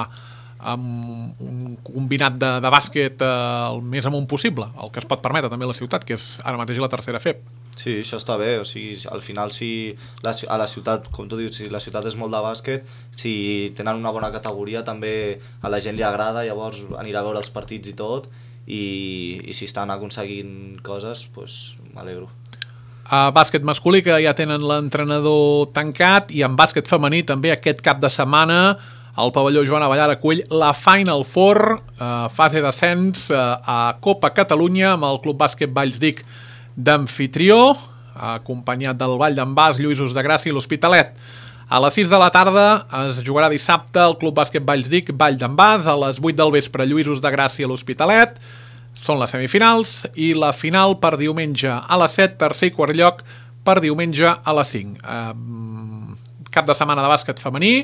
amb un combinat de bàsquet el més amunt possible, el que es pot permetre també la ciutat, que és ara mateix la tercera FEP. Sí, això està bé, o sigui, al final si a la ciutat, com tu dius, si la ciutat és molt de bàsquet, si tenen una bona categoria també a la gent li agrada, llavors anirà a veure els partits i tot, i si estan aconseguint coses, doncs m'alegro. A bàsquet masculí, que ja tenen l'entrenador tancat, i en bàsquet femení també aquest cap de setmana el pavelló Joan Avellar acull la Final Four, fase d'ascens a Copa Catalunya, amb el Club Bàsquet Valls d'Ic d'amfitrió, acompanyat del Vall d'en Bas, Lluïsos de Gràcia i l'Hospitalet. A les 6 de la tarda es jugarà dissabte el Club Bàsquet Valls d'Ic, Vall d'en Bas, a les 8 del vespre Lluïsos de Gràcia i l'Hospitalet. Són les semifinals, i la final per diumenge a les 7, tercer i quart lloc per diumenge a les 5. Cap de setmana de bàsquet femení,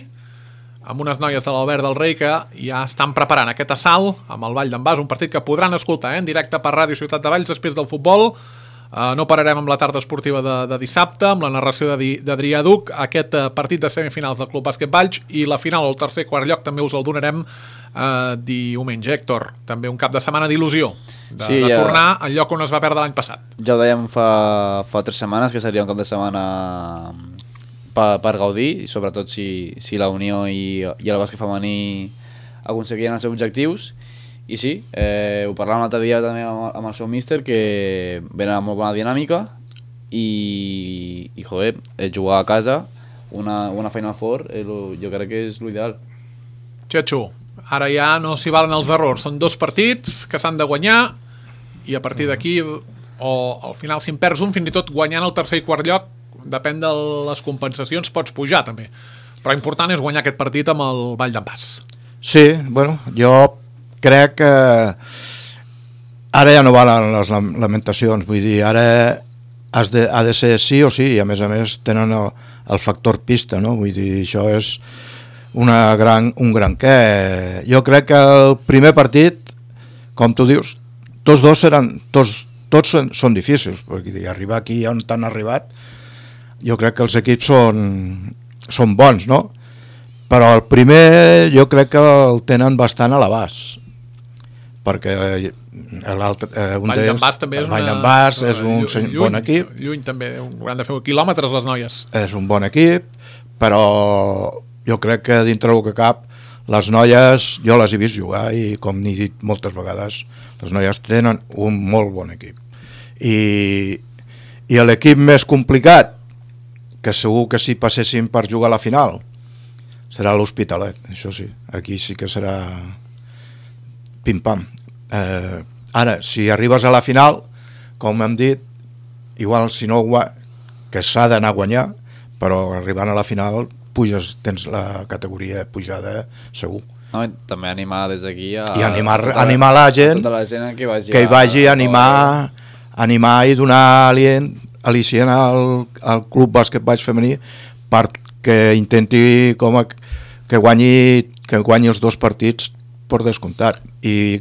amb unes noies de l'Albert del Rei que ja estan preparant aquest assalt amb el Vall d'en Bas, un partit que podran escoltar en directe per Ràdio Ciutat de Valls després del futbol. No pararem amb la tarda esportiva de dissabte, amb la narració d'Adrià Duc, aquest partit de semifinals del Club Bàsquet Valls, i la final o el tercer quart lloc també us el donarem diumenge. Héctor, també un cap de setmana d'il·lusió, de tornar al lloc on es va perdre l'any passat. Ja ho dèiem fa 3 setmanes, que seria un cap de setmana per gaudir, i sobretot si la Unió i el bàsquet femení aconseguien els seus objectius. I sí, ho parlàvem l'altre dia també amb el seu míster, que venen amb molt bona dinàmica, i joder, jugar a casa una Final Four jo crec que és l'ideal. Txetxo, ara ja no s'hi valen els errors, són 2 partits que s'han de guanyar, i a partir d'aquí, o al final si en perds un, fins i tot guanyant el tercer i quart lloc, depèn de les compensacions, pots pujar també, però important és guanyar aquest partit amb el Vall d'en Bas. Sí, bueno, jo crec que ara ja no valen les lamentacions, vull dir, ara ha de ser sí o sí, i a més tenen el factor pista, no? Vull dir, això és un gran què. Jo crec que el primer partit, com tu dius, tots són difícils, perquè arribar aquí on t'han arribat, jo crec que els equips són bons, no? Però el primer jo crec que el tenen bastant a l'abast, perquè Vall d'en Bas també és un bon equip. Lluny també, hauran de fer quilòmetres les noies. És un bon equip, però jo crec que dintre del que cap les noies, jo les he vist jugar, i com n'he dit moltes vegades, les noies tenen un molt bon equip. I l'equip més complicat, que segur que si passessin per jugar a la final, serà l'Hospitalet, això sí, aquí sí que serà pim-pam. Ara, si arribes a la final, com hem dit, igual si no que s'ha d'anar a guanyar, però arribant a la final tens la categoria pujada segur. No, també animar des d'aquí i animar la gent, tota la gent que hi vagi a animar i donar al·licient al Club Bàsquet Valls femení, per que intenti que guanyi els 2 partits per descomptat i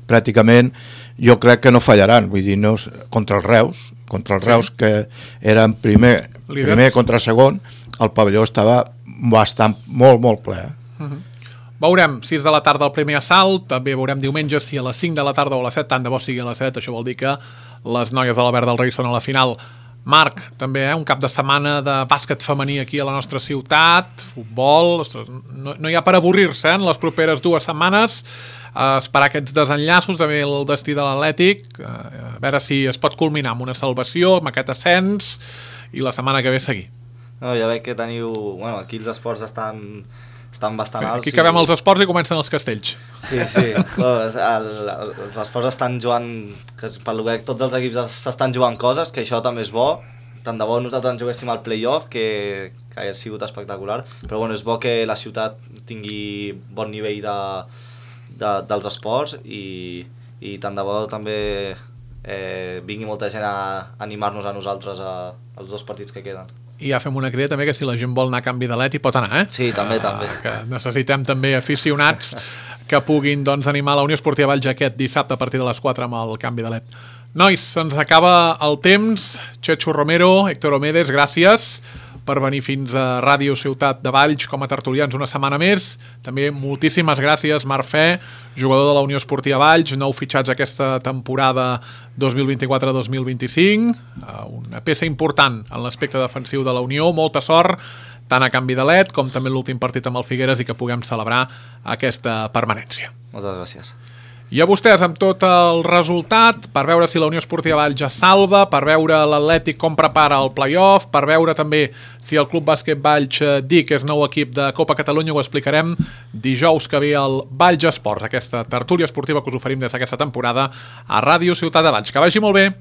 pràcticament jo crec que no fallaran, vull dir, no, contra els Reus que eren primer contra segon, el pavelló estava bastant molt ple. Veurem 6 de la tarda el primer assalt, també veurem diumenge si a les 5 de la tarda o a les 7, tant de bo sigui a les 7, això vol dir que les noies de la Verd del Rei són a la final. Marc, també un cap de setmana de bàsquet femení aquí a la nostra ciutat, futbol, no hi ha per avorrir-se en les properes 2 setmanes, esperar aquests desenllaços, també el destí de l'Atlètic, a veure si es pot culminar amb una salvació, amb aquest ascens, i la setmana que ve seguir. No, ja veig que teniu... Bueno, aquí els esports estan bastant alts. Aquí acabem els esports i comencen els castells. Sí. Els esports estan jugant... Per lo que tots els equips s'estan jugant coses, que això també és bo. Tant de bo nosaltres ens juguéssim al play-off, que hagi sigut espectacular. Però bueno, és bo que la ciutat tingui bon nivell dels esports i tant de bo també vingui molta gent a animar-nos a nosaltres als 2 partits que queden. I ja fem una crida també que si la gent vol anar a canvi de led hi pot anar, Sí, també. Que necessitem també aficionats que puguin animar la Unió Esportiva Valls aquest dissabte a partir de les 4 amb el canvi de led. Nois, se'ns acaba el temps. Chechu Romero, Héctor Omedes, gràcies per venir fins a Ràdio Ciutat de Valls com a tertulians una setmana més. També moltíssimes gràcies, Marc Fe, jugador de la Unió Esportiva Valls, nou fitxats aquesta temporada 2024-2025, una peça important en l'aspecte defensiu de la Unió, molta sort, tant a canvi de led com també l'últim partit amb el Figueres i que puguem celebrar aquesta permanència. Moltes gràcies. I a vostès amb tot el resultat, per veure si la Unió Esportiva Valls ja salva, per veure l'Atlètic com prepara el play-off, per veure també si el Club Bàsquet Valls DIC és nou equip de Copa Catalunya, ho explicarem dijous que ve al Valls Esports, aquesta tertúlia esportiva que us oferim des d'aquesta temporada a Ràdio Ciutat de Valls. Que vagi molt bé!